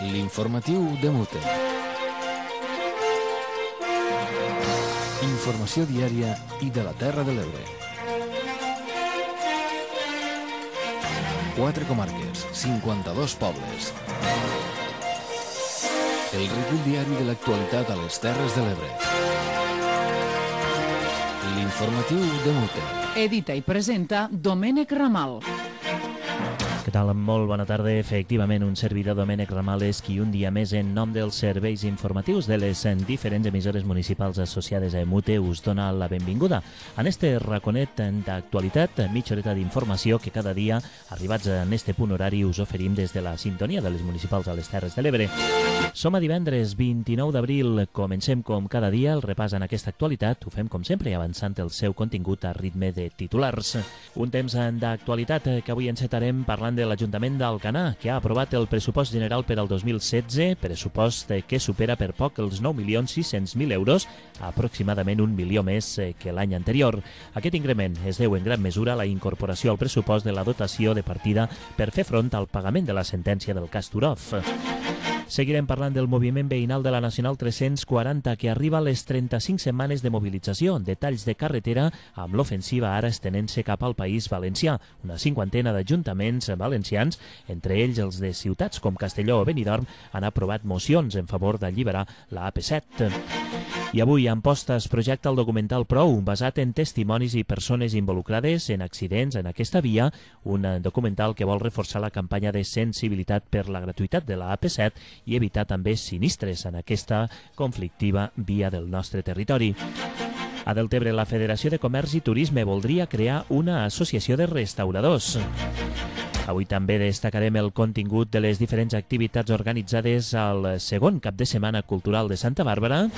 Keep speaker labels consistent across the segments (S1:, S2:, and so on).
S1: L'informatiu de Mute. Informació diària i de la Terra de l'Ebre. 4 comarques, 52 pobles. El recull diari de l'actualitat a les Terres de l'Ebre. L'informatiu de Mute.
S2: Edita i presenta Domènec Ramal.
S3: Què tal? Molt bona tarda. Efectivament, un servidor, Domènec Ramal, és qui un dia més, en nom dels serveis informatius de les diferents emissores municipals associades a Mute, us dona la benvinguda en este raconet d'actualitat, mitja horeta d'informació que cada dia, arribats en este punt horari, us oferim des de la sintonia de les municipals a les Terres de l'Ebre. Som a divendres 29 d'abril. Comencem com cada dia el repàs en aquesta actualitat. Ho fem com sempre avançant el seu contingut a ritme de titulars. Un temps d'actualitat que avui encetarem parlant de l'Ajuntament d'Alcanar, que ha aprovat el pressupost general per al 2016, pressupost que supera per poc els 9.600.000 euros, aproximadament 1 milió més que l'any anterior. Aquest increment es deu en gran mesura a la incorporació al pressupost de la dotació de partida per fer front al pagament de la sentència del cas Turov. Seguirem parlant del moviment veïnal de la Nacional 340, que arriba a les 35 setmanes de mobilització, detalls de carretera, amb l'ofensiva ara estenent-se cap al País Valencià. Una cinquantena d'ajuntaments valencians, entre ells els de ciutats com Castelló o Benidorm, han aprovat mocions en favor d'alliberar la AP7. I avui a Amposta es projecta el documental Prou, basat en testimonis i persones involucrades en accidents en aquesta via, un documental que vol reforçar la campanya de sensibilitat per la gratuïtat de la AP7 i evitar també sinistres en aquesta conflictiva via del nostre territori. A Deltebre, la Federació de Comerç i Turisme voldria crear una associació de restauradors. Avui també destacarem el contingut de les diferents activitats organitzades al segon cap de setmana cultural de Santa Bàrbara.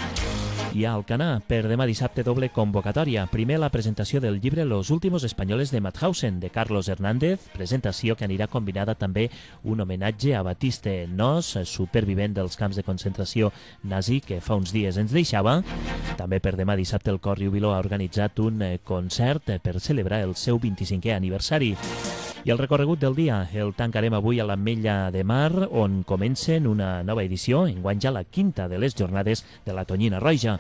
S3: I a Alcanar, per demà dissabte, doble convocatòria. Primer, la presentació del llibre Los últimos españoles de Mauthausen, de Carlos Hernández, presentació que anirà combinada també un homenatge a Batiste Nos, supervivent dels camps de concentració nazi que fa uns dies ens deixava. També per demà dissabte el Cor Riubiló ha organitzat un concert per celebrar el seu 25è aniversari. I el recorregut del dia el tancarem avui a l'Ametlla de Mar, on comencen una nova edició, enguany ja la quinta de les jornades de la Tonyina Roja.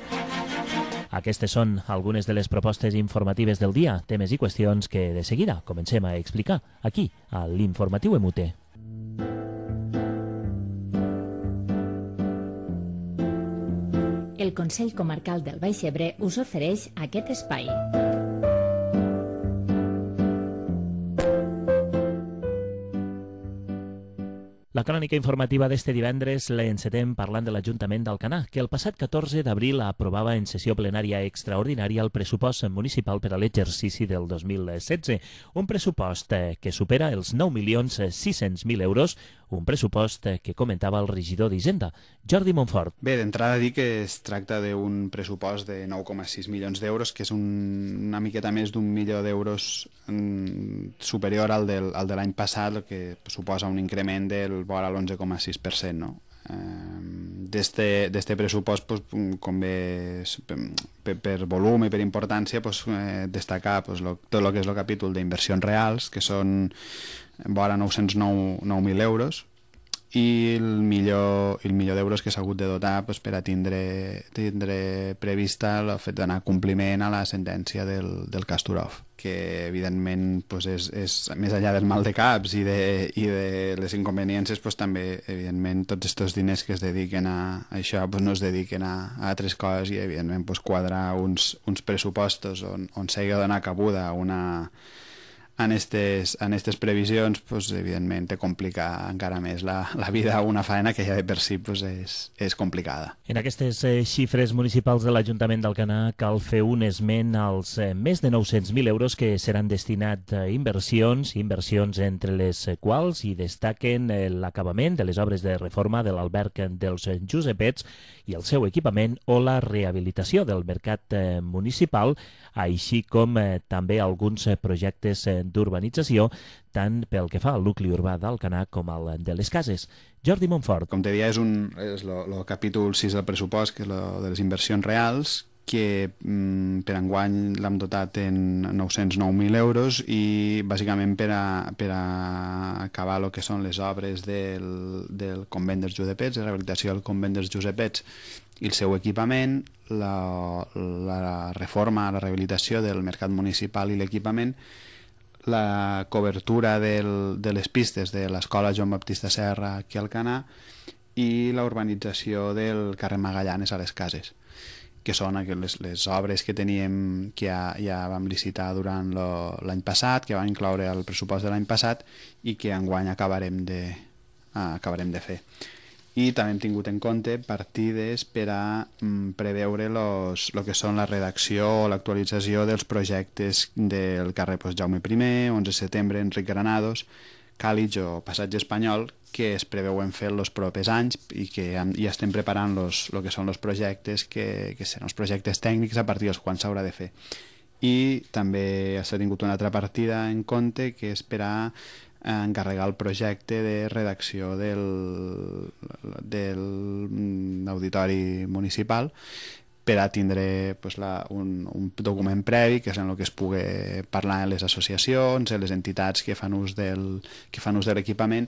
S3: Aquestes són algunes de les propostes informatives del dia, temes i qüestions que de seguida comencem a explicar aquí, a l'Informatiu Emute.
S4: El Consell Comarcal del Baix Ebre us ofereix aquest espai.
S3: La crònica informativa d'este divendres l'encetem parlant de l'Ajuntament d'Alcanar, que el passat 14 d'abril aprovava en sessió plenària extraordinària el pressupost municipal per a l'exercici del 2016. Un pressupost que supera els 9.600.000 euros, un pressupost que comentava el regidor d'Hisenda, Jordi Montfort.
S5: Bé, d'entrada dir que es tracta d'un pressupost de 9,6 milions d'euros, que és una miqueta més d'1 milió d'euros superior al de l'any passat, el que suposa un increment del vora l'11,6%, no? D'este pressupost, pues, com bé per volum i per importància, pues, destacar pues, tot el que és el capítol d'inversions reals, que són vora 909.000 euros, i el milió d'euros que s'ha hagut de dotar pues, per a tindre prevista el fet d'anar a compliment a la sentència del cas Turov, que evidentment pues, és més enllà del mal de caps i de les inconveniències, pues, també evidentment tots aquests diners que es dediquen a això pues, no es dediquen a altres coses, i evidentment pues, quadrar uns pressupostos on s'hagi de donar cabuda en aquestes previsions, pues, evidentment te complica encara més la vida a una faena que ja de per si pues, és complicada.
S3: En aquestes xifres municipals de l'Ajuntament d'Alcanar cal fer un esment als més de 900.000 euros que seran destinats a inversions entre les quals hi destaquen l'acabament de les obres de reforma de l'alberg dels Josepets i el seu equipament o la rehabilitació del mercat municipal, així com també alguns projectes d'urbanització, tant pel que fa al nucli urbà d'Alcanar com al de les cases. Jordi Montfort.
S5: Com te deia, és el capítol 6 del pressupost, que és de les inversions reals, que per enguany l'hem dotat en 909.000 euros i bàsicament per a acabar el que són les obres del convent dels Josepets, de rehabilitació del convent dels Josepets i el seu equipament, la reforma, la rehabilitació del mercat municipal i l'equipament, la cobertura de les pistes de l'escola Joan Baptista Serra aquí al Canà i la urbanització del carrer Magallanes a les Cases, que són les obres que teníem, que ja vam licitar durant l'any passat, que vam incloure al pressupost de l'any passat i que enguany acabarem de fer. I també hem tingut en compte partides per a preveure el que són la redacció o l'actualització dels projectes del carrer Jaume I, 11 de setembre, Enric Granados, Càlig o Passatge Espanyol, que es preveuen fer els propers anys i que ja estem preparant el que són els projectes, que seran els projectes tècnics a partir dels quals s'haurà de fer. I també s'ha tingut una altra partida en compte, que és per a encarregar el projecte de redacció del auditori municipal per a tindre un document previ, que és en el que es pugui parlar en les associacions, en les entitats que fan ús de l'equipament,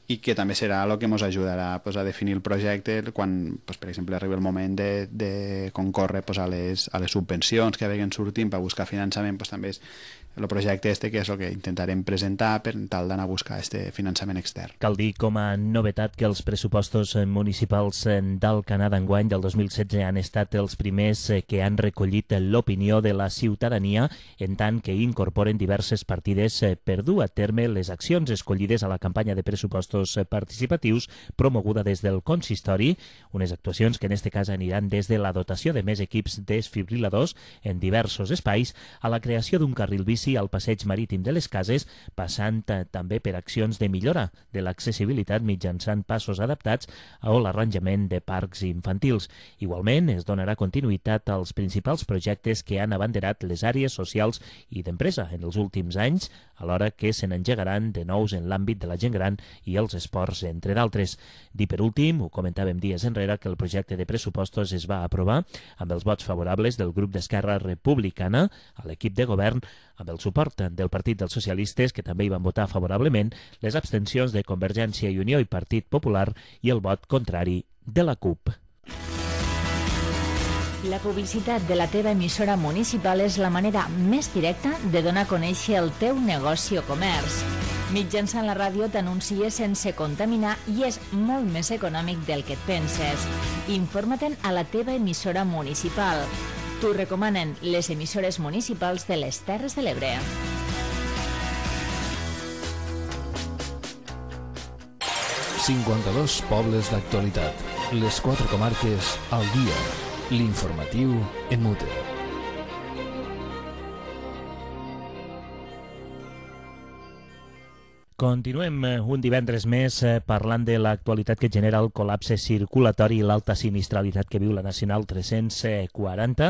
S5: i que també serà el que ens ajudarà a definir el projecte quan, per exemple, arribi el moment de concórrer a les subvencions que vagin sortint per buscar finançament. També és el projecte que és el que intentarem presentar per tal d'anar a buscar finançament extern.
S3: Cal dir com a novetat que els pressupostos municipals del Canà d'enguany del 2016 han estat els primers que han recollit l'opinió de la ciutadania, en tant que incorporen diverses partides per dur a terme les accions escollides a la campanya de pressupostos participatius promoguda des del consistori, unes actuacions que en este cas aniran des de la dotació de més equips desfibriladors en diversos espais a la creació d'un carril bici al passeig marítim de les Cases, passant també per accions de millora de l'accessibilitat mitjançant passos adaptats o l'arranjament de parcs infantils. Igualment, es donarà continuïtat als principals projectes que han abanderat les àrees socials i d'empresa en els últims anys, alhora que se n'engegaran de nous en l'àmbit de la gent gran i els esports, entre d'altres. Dir per últim, ho comentàvem dies enrere, que el projecte de pressupostos es va aprovar amb els vots favorables del grup d'Esquerra Republicana a l'equip de govern, amb el suport del Partit dels Socialistes, que també hi van votar favorablement, les abstencions de Convergència i Unió i Partit Popular i el vot contrari de la CUP.
S4: La publicitat de la teva emissora municipal és la manera més directa de donar a conèixer el teu negoci o comerç. Mitjançant la ràdio t'anuncies sense contaminar i és molt més econòmic del que et penses. Informa-te'n a la teva emissora municipal. T'ho recomanen les emissores municipals de les Terres de l'Ebre.
S1: «52 pobles d'actualitat. Les 4 comarques al dia. L'informatiu en Mute».
S3: Continuem un divendres més parlant de l'actualitat que genera el col·lapse circulatori i l'alta sinistralitat que viu la Nacional 340.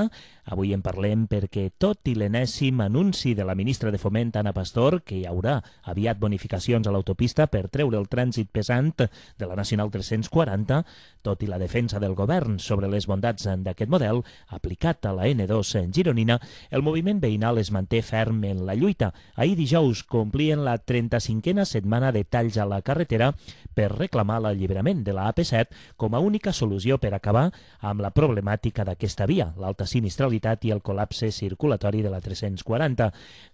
S3: Avui en parlem perquè, tot i l'enèsim anunci de la ministra de Foment, Ana Pastor, que hi haurà aviat bonificacions a l'autopista per treure el trànsit pesant de la Nacional 340, tot i la defensa del govern sobre les bondats d'aquest model aplicat a la N2 gironina, el moviment veïnal es manté ferm en la lluita. Ahir dijous complien la 35a setmana de talls a la carretera per reclamar l'alliberament de la AP7 com a única solució per acabar amb la problemàtica d'aquesta via, l'alta sinistralitat i el col·lapse circulatori de la 340.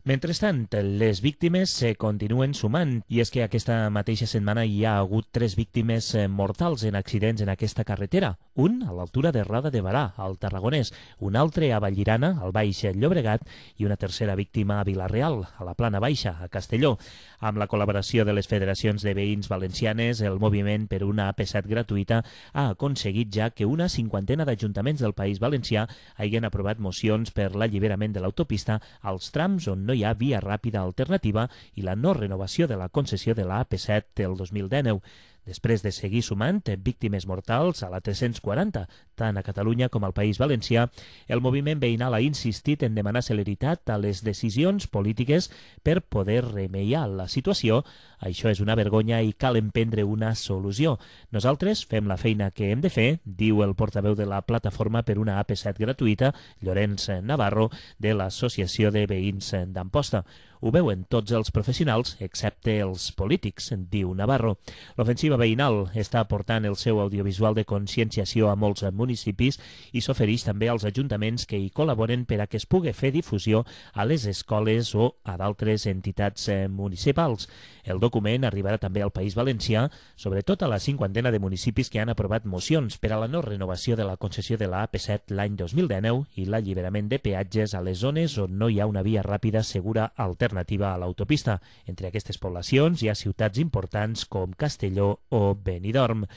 S3: Mentrestant, les víctimes se continuen sumant, i és que aquesta mateixa setmana hi ha hagut 3 víctimes mortals en accidents en aquesta carretera. Un a l'altura de Roda de Barà, al Tarragonès, un altre a Vallirana, al Baix Llobregat, i una tercera víctima a Vila-real, a la Plana Baixa, a Castelló. Amb la col·laboració de les federacions de veïns valencianes, el moviment per una AP7 gratuïta ha aconseguit ja que una 50ena d'ajuntaments del País Valencià hagin aprovat mocions per l'alliberament de l'autopista als trams on no hi ha via ràpida alternativa i la no renovació de la concessió de la AP7 del 2019. Després de seguir sumant víctimes mortals a la 340, tant a Catalunya com al País Valencià, el moviment veïnal ha insistit en demanar celeritat a les decisions polítiques per poder remeiar la situació. Això és una vergonya i cal emprendre una solució. Nosaltres fem la feina que hem de fer, diu el portaveu de la Plataforma per una AP7 gratuïta, Llorenç Navarro, de l'Associació de Veïns d'Amposta. Ho veuen tots els professionals, excepte els polítics, diu Navarro. L'ofensiva veïnal està aportant el seu audiovisual de conscienciació a molts municipis i s'ofereix també als ajuntaments que hi col·laboren per a que es pugui fer difusió a les escoles o a d'altres entitats municipals. El document arribarà també al País Valencià, sobretot a la 50ena de municipis que han aprovat mocions per a la no renovació de la concessió de la AP7 l'any 2019 i l'alliberament de peatges a les zones on no hi ha una via ràpida segura alternativa a l'autopista. Entre aquestes poblacions hi ha ciutats importants com Castelló o Benidorm.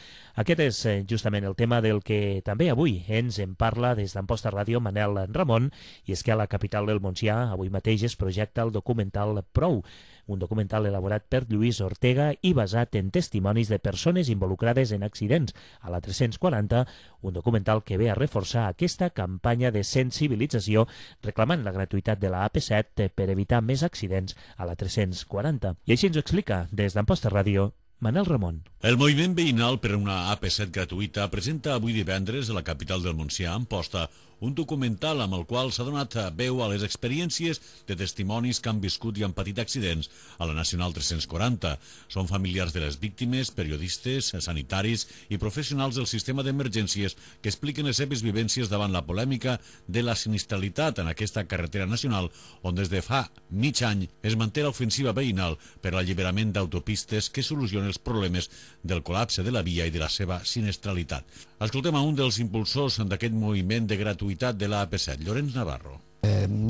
S3: Aquest és justament el tema del que també avui ens en parla des d'Amposta Ràdio Manel Ramon, i és que a la capital del Montsià avui mateix es projecta el documental Prou, un documental elaborat per Lluís Ortega i basat en testimonis de persones involucrades en accidents a la 340, un documental que ve a reforçar aquesta campanya de sensibilització reclamant la gratuïtat de la AP7 per evitar més accidents a la 340. I així ens ho explica des d'Amposta Ràdio Manel Ramon.
S6: El moviment veïnal per una AP7 gratuïta presenta avui divendres a la capital del Montsià, Amposta, un documental amb el qual s'ha donat veu a les experiències de testimonis que han viscut i han patit accidents a la Nacional 340. Són familiars de les víctimes, periodistes, sanitaris i professionals del sistema d'emergències que expliquen les seves vivències davant la polèmica de la sinistralitat en aquesta carretera nacional, on des de fa mig any es manté l'ofensiva veïnal per l'alliberament d'autopistes que soluciona els problemes del col·lapse de la via i de la seva sinistralitat. Escoltem a un dels impulsors d'aquest moviment de gratuïtat de la AP7, Llorenç Navarro.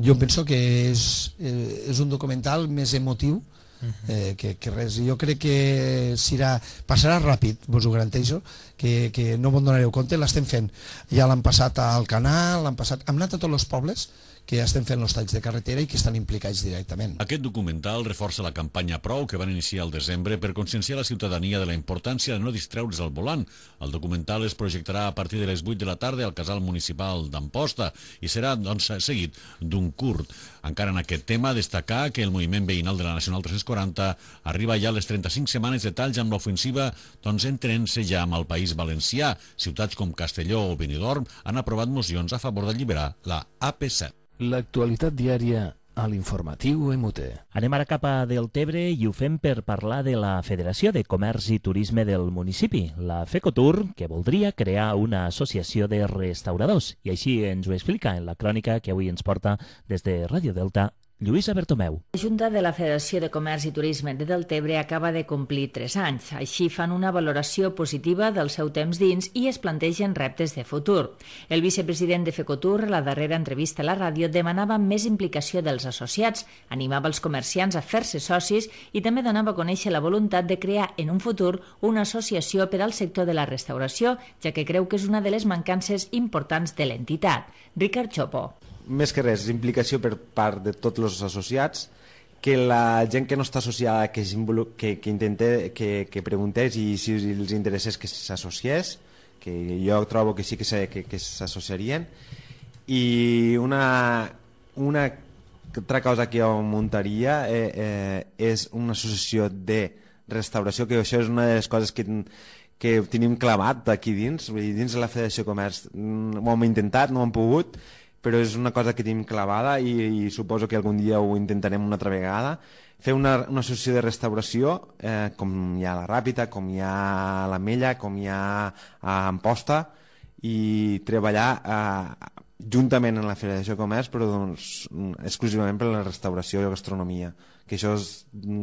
S7: Jo penso que és un documental més emotiu que res. Jo crec que passarà ràpid, vos ho garanteixo, que no vos donareu compte, l'estem fent. Ja l'han passat al canal, hem anat a tots els pobles que estem fent els talls de carretera i que estan implicats directament.
S6: Aquest documental reforça la campanya Prou que van iniciar al desembre per conscienciar la ciutadania de la importància de no distreure's al volant. El documental es projectarà a partir de les 8 de la tarda al Casal Municipal d'Amposta i serà seguit d'un curt. Encara en aquest tema, destacar que el moviment veïnal de la Nacional 340 arriba ja a les 35 setmanes de talls amb l'ofensiva entrant-se ja amb el País Valencià. Ciutats com Castelló o Benidorm han aprovat mocions a favor d'alliberar la AP7.
S1: L'actualitat diària a l'informatiu MUT.
S3: Anem ara cap a Deltebre i ho fem per parlar de la Federació de Comerç i Turisme del municipi, la FECOTUR, que voldria crear una associació de restauradors. I així ens ho explica en la crònica que avui ens porta des de Ràdio Delta Lluïsa Bertomeu.
S4: La Junta de la Federació de Comerç i Turisme de Deltebre acaba de complir 3 anys. Així fan una valoració positiva del seu temps dins i es plantegen reptes de futur. El vicepresident de FECOTUR, a la darrera entrevista a la ràdio, demanava més implicació dels associats, animava els comerciants a fer-se socis i també donava a conèixer la voluntat de crear en un futur una associació per al sector de la restauració, ja que creu que és una de les mancances importants de l'entitat. Ricard Chopo.
S8: Més que res, implicació per part de tots els associats, que la gent que no està associada que preguntés i si els interessés que s'associés, que jo trobo que sí que s'associarien. I una altra cosa que jo muntaria és una associació de restauració, que això és una de les coses que tenim clavat aquí dins de la Federació de Comerç. Ho hem intentat, no ho hem pogut, però és una cosa que tenim clavada i suposo que algun dia ho intentarem una altra vegada. Fer una associació de restauració, com hi ha a la Ràpita, com hi ha a l'Ametlla, com hi ha a Amposta, i treballar juntament en la Federació de Comerç, però exclusivament per la restauració i la gastronomia, que això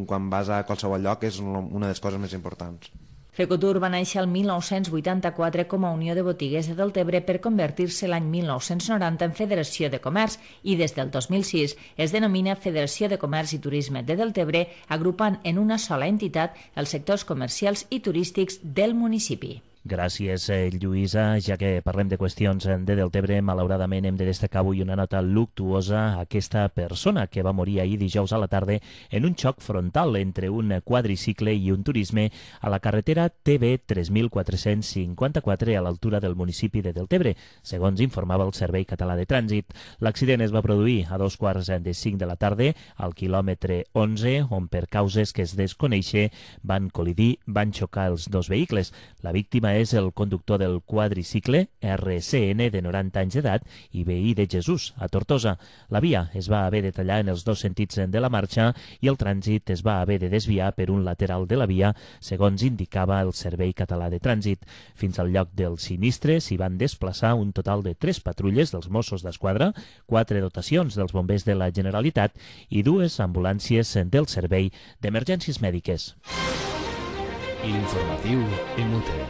S8: quan vas a qualsevol lloc és una de les coses més importants.
S4: FECOTUR va néixer el 1984 com a Unió de Botiguers de Deltebre per convertir-se l'any 1990 en Federació de Comerç i des del 2006 es denomina Federació de Comerç i Turisme de Deltebre, agrupant en una sola entitat els sectors comercials i turístics del municipi.
S3: Gràcies, Lluïsa. Ja que parlem de qüestions de Deltebre, malauradament hem de destacar avui una nota luctuosa a aquesta persona que va morir ahir dijous a la tarda en un xoc frontal entre un quadricicle i un turisme a la carretera TB 3454 a l'altura del municipi de Deltebre, segons informava el Servei Català de Trànsit. L'accident es va produir a 2:45 de la tarda al quilòmetre 11, on per causes que es desconeixen van col·lidir, van xocar els dos vehicles. La víctima és el conductor del quadricicle, RCN, de 90 anys d'edat i veí de Jesús, a Tortosa. La via es va haver de tallar en els dos sentits de la marxa i el trànsit es va haver de desviar per un lateral de la via, segons indicava el Servei Català de Trànsit. Fins al lloc del sinistre s'hi van desplaçar un total de 3 patrulles dels Mossos d'Esquadra, 4 dotacions dels bombers de la Generalitat i 2 ambulàncies del Servei d'Emergències Mèdiques.
S1: L'informatiu MUTE.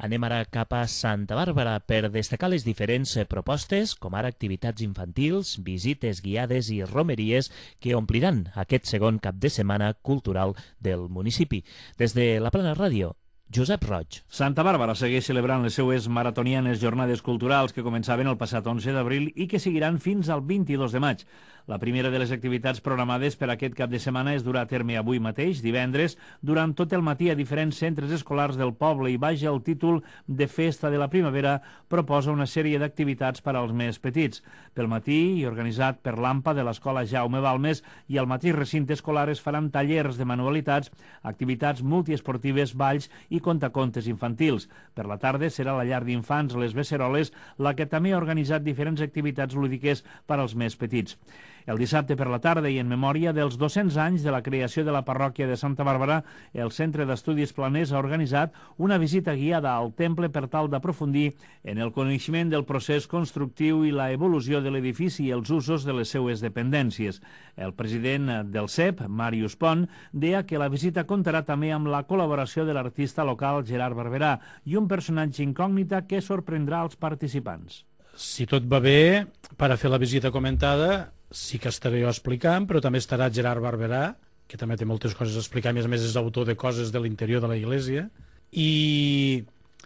S3: Anem ara cap a Santa Bàrbara per destacar les diferents propostes, com ara activitats infantils, visites guiades i romeries que ompliran aquest segon cap de setmana cultural del municipi. Des de la Plana Ràdio, Josep Roig.
S9: Santa Bàrbara segueix celebrant les seues maratonianes jornades culturals que començaven el passat 11 d'abril i que seguiran fins al 22 de maig. La primera de les activitats programades per aquest cap de setmana es durà a terme avui mateix, divendres, durant tot el matí a diferents centres escolars del poble i baix el títol de Festa de la Primavera proposa una sèrie d'activitats per als més petits. Pel matí, i organitzat per l'AMPA de l'Escola Jaume Balmes, i al mateix recinte escolar es faran tallers de manualitats, activitats multiesportives, balls i contacontes infantils. Per la tarda serà la llar d'infants Les Beceroles, la que també ha organitzat diferents activitats lúdiques per als més petits. El dissabte per la tarda i en memòria dels 200 anys de la creació de la parròquia de Santa Bàrbara, el Centre d'Estudis Planers ha organitzat una visita guiada al temple per tal d'aprofundir en el coneixement del procés constructiu i la evolució de l'edifici i els usos de les seues dependències. El president del CEP, Màrius Pont, deia que la visita comptarà també amb la col·laboració de l'artista local Gerard Barberà i un personatge incògnita que sorprendrà els participants.
S10: Si tot va bé, per a fer la visita comentada, sí que estaré jo explicant, però també estarà Gerard Barberà, que també té moltes coses a explicar, a més és autor de coses de l'interior de la Iglesia, i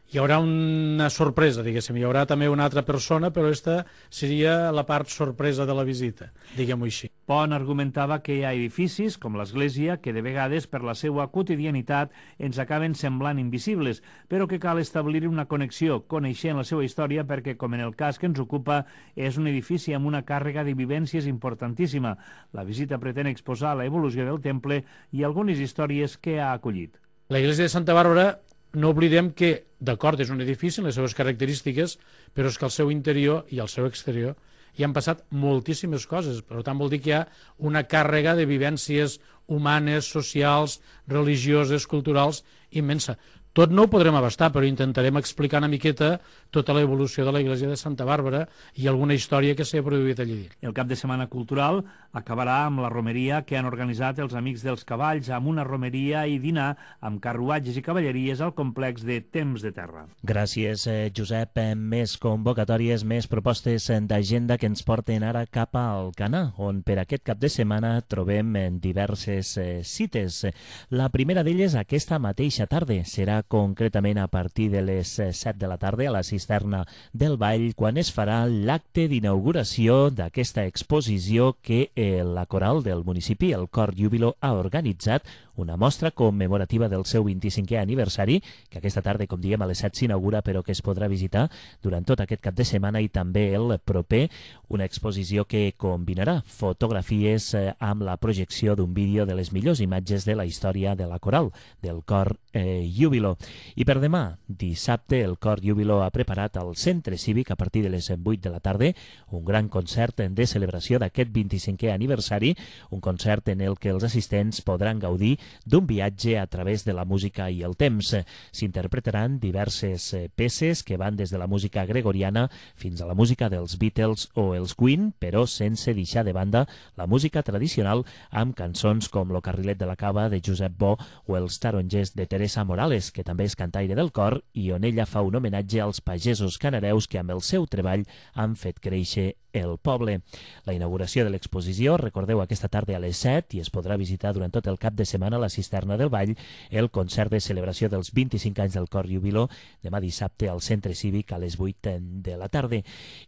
S10: hi haurà una sorpresa, diguéssim, hi haurà també una altra persona, però aquesta seria la part sorpresa de la visita, diguem-ho així.
S9: Pont argumentava que hi ha edificis, com l'església, que de vegades per la seva quotidianitat ens acaben semblant invisibles, però que cal establir una connexió, coneixent la seva història, perquè, com en el cas que ens ocupa, és un edifici amb una càrrega de vivències importantíssima. La visita pretén exposar la evolució del temple i algunes històries que ha acollit.
S10: La Iglesia de Santa Bàrbara, no oblidem que, d'acord, és un edifici en les seves característiques, però és que al seu interior i al seu exterior hi han passat moltíssimes coses. Per tant, vol dir que hi ha una càrrega de vivències humanes, socials, religioses, culturals, immensa. Tot no ho podrem abastar, però intentarem explicar una miqueta tota l'evolució de la Iglesia de Santa Bàrbara i alguna història que s'ha produït allí.
S9: El cap de setmana cultural acabarà amb la romeria que han organitzat els Amics dels Cavalls, amb una romeria i dinar amb carruatges i cavalleries al complex de Temps de Terra.
S3: Gràcies, Josep. Més convocatòries, més propostes d'agenda que ens porten ara cap a Alcanar, on per aquest cap de setmana trobem diverses cites. La primera d'elles aquesta mateixa tarda serà concretament a partir de les 7 de la tarda a la cisterna del Vall, quan es farà l'acte d'inauguració d'aquesta exposició que la coral del municipi, el Cor Júbilo, ha organitzat, una mostra commemorativa del seu 25è aniversari, que aquesta tarda, com diem, a les 7 s'inaugura, però que es podrà visitar durant tot aquest cap de setmana i també el proper, una exposició que combinarà fotografies amb la projecció d'un vídeo de les millors imatges de la història de la coral, del Cor Júbilo. I per demà, dissabte, el Cor Júbilo ha preparat al Centre Cívic, a partir de les 8 de la tarda, un gran concert de celebració d'aquest 25è aniversari, un concert en el que els assistents podran gaudir d'un viatge a través de la música i el temps. S'interpretaran diverses peces que van des de la música gregoriana fins a la música dels Beatles o els Queen, però sense deixar de banda la música tradicional amb cançons com Lo Carrilet de la Cava de Josep Bo o Els Tarongers de Teresa Morales, que també és cantaire del cor i on ella fa un homenatge als pagesos canareus que amb el seu treball han fet créixer el poble. La inauguració de l'exposició, recordeu, aquesta tarda a les 7 i es podrà visitar durant tot el cap de setmana la Cisterna del Vall, el concert de celebració dels 25 anys del Cor Jubiló, demà dissabte al Centre Cívic a les 8 de la tarda.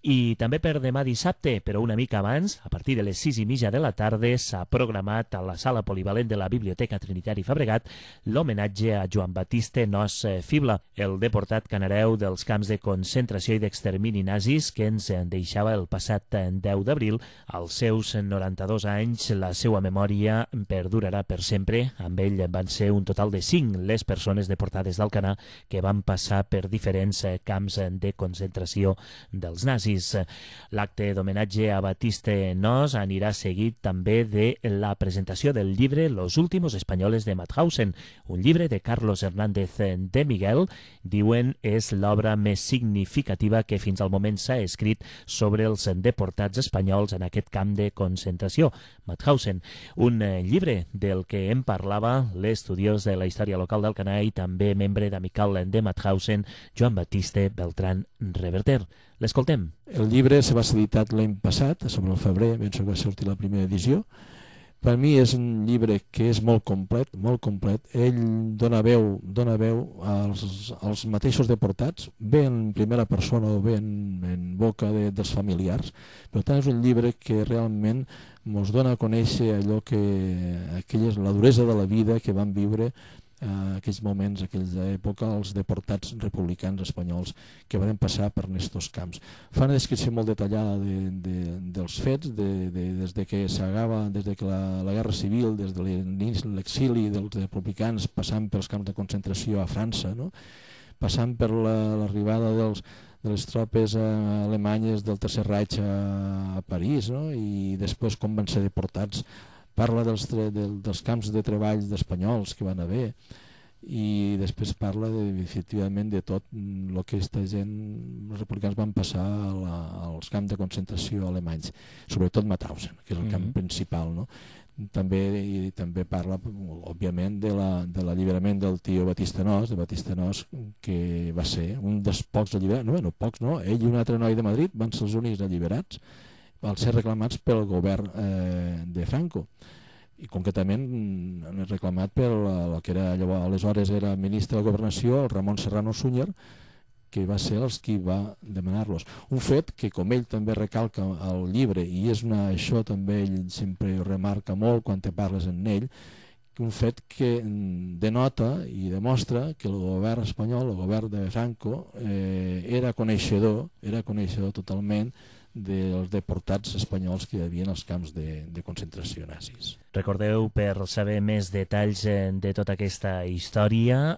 S3: I també per demà dissabte, però una mica abans, a partir de les 6:30 de la tarda, s'ha programat a la sala polivalent de la Biblioteca Trinitari Fabregat l'homenatge a Joan Batiste Nos Fibla, el deportat canareu dels camps de concentració i d'extermini nazis que ens deixava el passat 10 d'abril. Als seus 92 anys, la seva memòria perdurarà per sempre. Amb ell van ser un total de 5 les persones deportades d'Alcanar que van passar per diferents camps de concentració dels nazis. L'acte d'homenatge a Batiste Nos anirà seguit també de la presentació del llibre Los últimos españoles de Mauthausen, un llibre de Carlos Hernández de Miguel. Diuen és l'obra més significativa que fins al moment s'ha escrit sobre els deportats espanyols en aquest camp de concentració, Mauthausen. Un llibre del que em parlava l'estudiós de la història local d'Alcanar i també membre d'Amical de Mauthausen, Joan Batiste Beltrán Reverter. L'escoltem.
S11: El llibre se va ser editat l'any passat, sobre el febrer, penso que va sortir la primera edició. Per mi és un llibre que és molt complet, molt complet. Ell dona veu als mateixos deportats, bé en primera persona o bé en boca dels familiars. Per tant, és un llibre que realment ens dona a conèixer allò la duresa de la vida que van viure aquells moments, aquella època, els deportats republicans espanyols que van passar per estos camps. Fa una descripció molt detallada dels fets, des de que la Guerra Civil, des de l'exili dels republicans, passant pels camps de concentració a França, no? Passant per l'arribada de les tropes alemanyes del Tercer Reich a París, no? I després com van ser deportats. Parla dels camps de treball d'espanyols que van haver i després parla efectivament de tot el que els republicans van passar als camps de concentració alemanys, sobretot Mauthausen, que és el camp principal, no? També parla, òbviament, de l'alliberament del tio Batiste Nos, que va ser un dels pocs alliberats, ell i un altre noi de Madrid van ser els únics alliberats, van ser reclamats pel govern de Franco i concretament reclamat pel que aleshores era ministre de Governació, el Ramon Serrano Súñer, que va ser els qui va demanar-los. Un fet que, com ell també recalca al llibre, i això també ell sempre ho remarca molt quan te parles en ell, un fet que denota i demostra que el govern espanyol, el govern de Franco, era coneixedor totalment dels deportats espanyols que hi havia als camps de concentració nazis.
S3: Recordeu, per saber més detalls de tota aquesta història,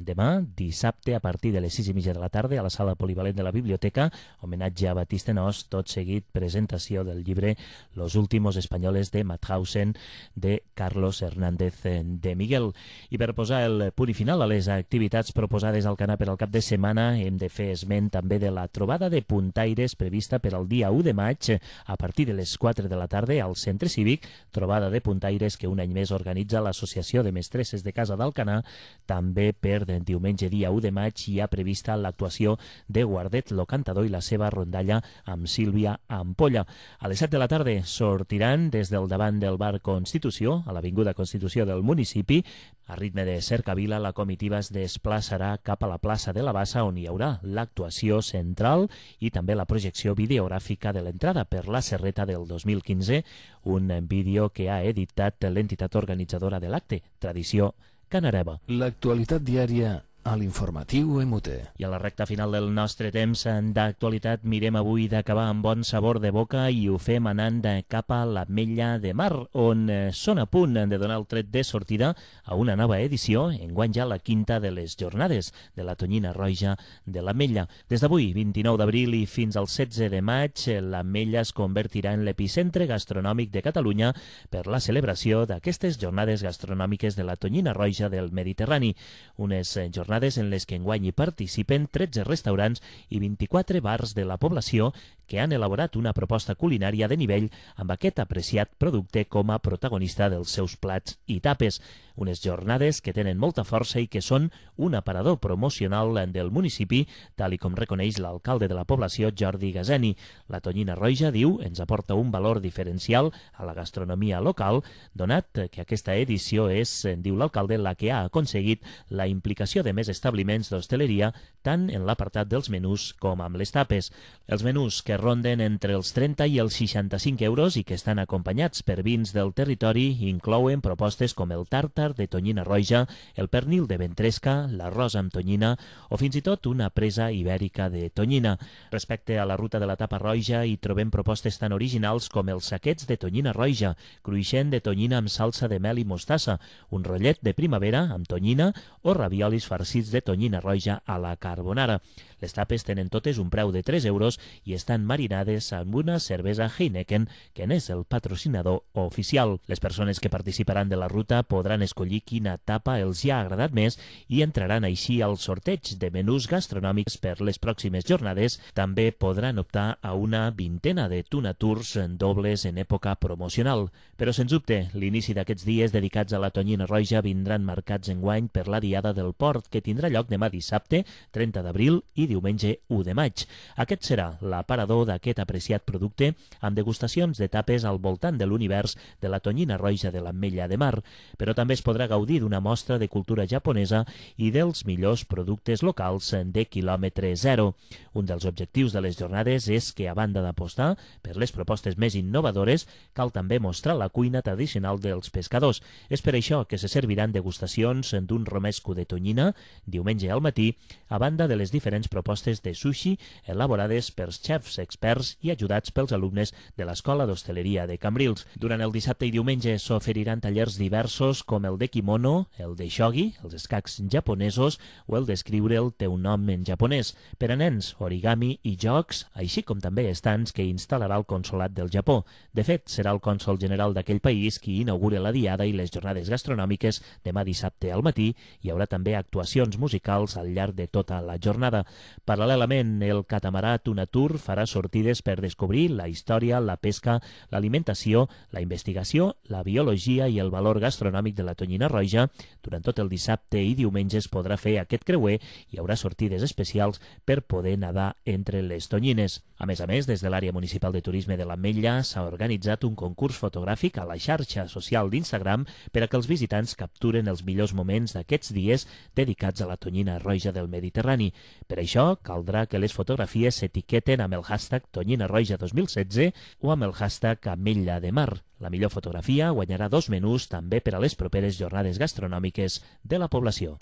S3: demà, dissabte, a partir de les 6:30 de la tarda, a la sala polivalent de la biblioteca, homenatge a Batiste Nos, tot seguit presentació del llibre Los últimos españoles de Mauthausen, de Carlos Hernández de Miguel. I per posar el punt final a les activitats proposades al Alcanar per al cap de setmana, hem de fer esment també de la trobada de puntaires prevista per al dia 1 de maig, a partir de les 4 de la tarda, al Centre Cívic, trobada de puntaires que un any més organitza l'Associació de Mestresses de Casa d'Alcanar. També per diumenge dia 1 de maig hi ha prevista l'actuació de Guardet, lo cantador, i la seva rondalla amb Sílvia Ampolla. A les 7 de la tarda sortiran des del davant del bar Constitució, a l'Avinguda Constitució del municipi. A ritme de cercavila, la comitiva es desplaçarà cap a la plaça de la Bassa, on hi haurà l'actuació central i també la projecció videogràfica de l'entrada per la Serreta del 2015, un vídeo que ha editat l'entitat organitzadora de l'acte, Tradició Canareva.
S1: L'actualitat diària a l'informatiu MUT.
S3: I a la recta final del nostre temps d'actualitat mirem avui d'acabar amb bon sabor de boca i ho fem anant cap a l'Ametlla de Mar, on són a punt de donar el tret de sortida a una nova edició, enguany ja la quinta de les jornades de la tonyina roja de l'Ametlla. Des d'avui, 29 d'abril i fins al 16 de maig, l'Ametlla es convertirà en l'epicentre gastronòmic de Catalunya per la celebració d'aquestes jornades gastronòmiques de la tonyina roja del Mediterrani, unes jornades jornades en les que enguany hi participen 13 restaurants i 24 bars de la població que han elaborat una proposta culinària de nivell amb aquest apreciat producte com a protagonista dels seus plats i tapes. Unes jornades que tenen molta força i que són un aparador promocional del municipi, tal i com reconeix l'alcalde de la població, Jordi Gazeni. La tonyina roja, diu, ens aporta un valor diferencial a la gastronomia local, donat que aquesta edició és, diu l'alcalde, la que ha aconseguit la implicació de més establiments d'hostaleria tant en l'apartat dels menús com amb les tapes. Els menús que ronden entre els 30 i els 65 euros i que estan acompanyats per vins del territori inclouen propostes com el tàrtar de tonyina roja, el pernil de ventresca, l'arròs amb tonyina o fins i tot una presa ibèrica de tonyina. Respecte a la ruta de la tapa roja hi trobem propostes tan originals com els saquets de tonyina roja, cruixent de tonyina amb salsa de mel i mostassa, un rotllet de primavera amb tonyina o raviolis farcits de tonyina roja a la carbonara. Les tapes tenen totes un preu de 3 euros i estan marinades amb una cervesa Heineken, que n'és el patrocinador oficial. Les persones que participaran de la ruta podran escollir quina tapa els hi ha agradat més i entraran així al sorteig de menús gastronòmics per les pròximes jornades. També podran optar a una vintena de tuna tours dobles en època promocional. Però, sens dubte, l'inici d'aquests dies dedicats a la tonyina roja vindran marcats enguany per la Diada del Port, que tindrà lloc demà dissabte, 30 d'abril, i diumenge 1 de maig. Aquest serà l'aparador d'aquest apreciat producte amb degustacions d'etapes al voltant de l'univers de la tonyina roja de l'Ametlla de Mar, però també es podrà gaudir d'una mostra de cultura japonesa i dels millors productes locals de quilòmetre zero. Un dels objectius de les jornades és que, a banda d'apostar per les propostes més innovadores, cal també mostrar la cuina tradicional dels pescadors. És per això que se serviran degustacions d'un romesco de tonyina diumenge al matí, a banda de les diferents propostes de sushi elaborades per xefs experts i ajudats pels alumnes de l'Escola d'Hostaleria de Cambrils. Durant el dissabte i diumenge s'oferiran tallers diversos com el de kimono, el de shogi, els escacs japonesos o el d'escriure el teu nom en japonès. Per a nens, origami i jocs, així com també estants que instal·larà el Consolat del Japó. De fet, serà el cònsol general d'aquell país qui inaugura la diada i les jornades gastronòmiques demà dissabte al matí. Hi haurà també actuacions musicals al llarg de tota la jornada. Paral·lelament, el catamarà Tuna Tour farà sortides per descobrir la història, la pesca, l'alimentació, la investigació, la biologia i el valor gastronòmic de la tonyina roja. Durant tot el dissabte i diumenge es podrà fer aquest creuer i hi haurà sortides especials per poder nedar entre les tonyines. A més, des de l'àrea municipal de turisme de l'Ametlla s'ha organitzat un concurs fotogràfic a la xarxa social d'Instagram per a que els visitants capturen els millors moments d'aquests dies dedicats a la tonyina roja del Mediterrani. Per això, caldrà que les fotografies s'etiqueten amb el hashtag Tonyina Roja 2016 o amb el hashtag Ametlla de Mar. La millor fotografia guanyarà 2 menús també per a les properes jornades gastronòmiques de la població.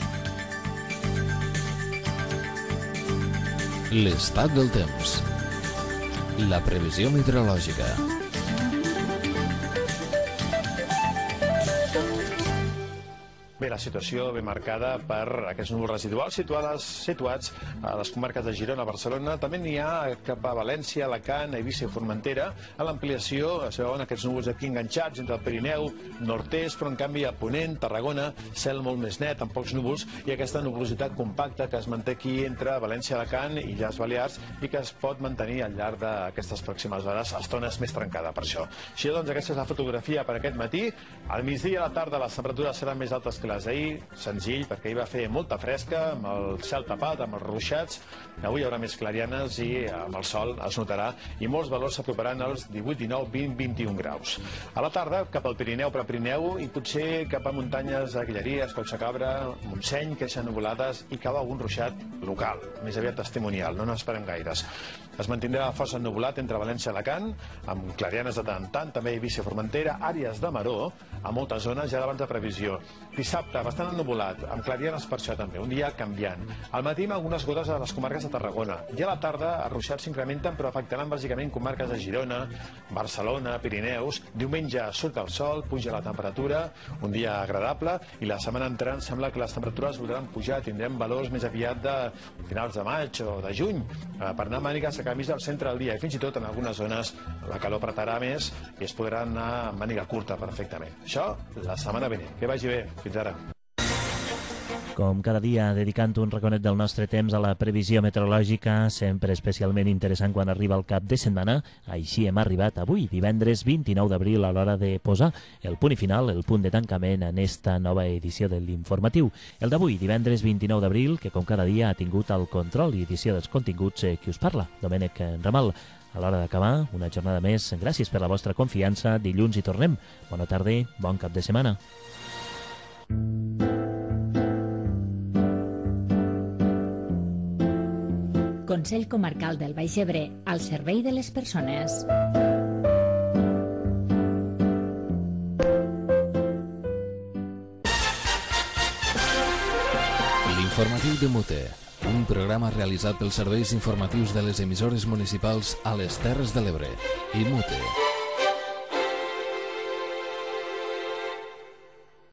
S1: L'estat del temps. La previsió meteorològica.
S12: Bé, la situació ve marcada per aquests núvols residuals situats a les comarques de Girona, Barcelona. També n'hi ha cap a València, Alacant, Eivissa i Formentera. A l'ampliació es veuen aquests núvols aquí enganxats entre el Pirineu, nord-est, però en canvi a Ponent, Tarragona, cel molt més net, amb pocs núvols, i aquesta nuvolositat compacta que es manté aquí entre València, Alacant i Illes Balears i que es pot mantenir al llarg d'aquestes pròximes hores, estones més trencada per això. Així doncs, aquesta és la fotografia per aquest matí. Al migdia i a la tarda les temperatures seran més altes que les d'ahir, senzill, perquè ahir va fer molta fresca, amb el cel tapat, amb els ruixats. Avui hi haurà més clarianes i amb el sol es notarà, i molts valors s'aproparan als 18, 19, 20, 21 graus. A la tarda, cap al Pirineu, Prepirineu, i potser cap a muntanyes de Guilleries, Collsacabra, Montseny, que deixen nuvolades, i cau algun ruixat local, més aviat testimonial, no n'esperem gaires. Es mantindrà força ennuvolat entre València i Alacant, amb clarianes de tant en tant, també Eivissa i Formentera, àrees de maró, a moltes zones ja d'abans de previsió. Dissabte, bastant ennuvolat, amb clarianes per això també, un dia canviant. Al matí amb algunes gotes a les comarques de Tarragona. I a la tarda, els ruixats s'incrementen, però afectaran bàsicament comarques de Girona, Barcelona, Pirineus. Diumenge surt el sol, puja la temperatura, un dia agradable, i la setmana entrant sembla que les temperatures voldran pujar, tindrem valors més aviat de finals de maig o de juny, per anar a mànigues a camisa al centre del dia, i fins i tot en algunes zones la calor apretarà més i es podrà anar a màniga curta perfectament. Això la setmana vinent. Que vagi bé. Fins ara.
S3: Com cada dia, dedicant un raconet del nostre temps a la previsió meteorològica, sempre especialment interessant quan arriba el cap de setmana. Així hem arribat avui, divendres 29 d'abril, a l'hora de posar el punt i final, el punt de tancament en esta nova edició de l'Informatiu. El d'avui, divendres 29 d'abril, que com cada dia ha tingut el control i edició dels continguts qui us parla, Domènec Ramal. A l'hora d'acabar, una jornada més. Gràcies per la vostra confiança. Dilluns hi tornem. Bona tarda, bon cap de setmana.
S4: Consell Comarcal del Baix Ebre, al servei de les persones.
S1: L'Informatiu de Mute, un programa realitzat pels serveis informatius de les emissores municipals a les Terres de l'Ebre i Mute.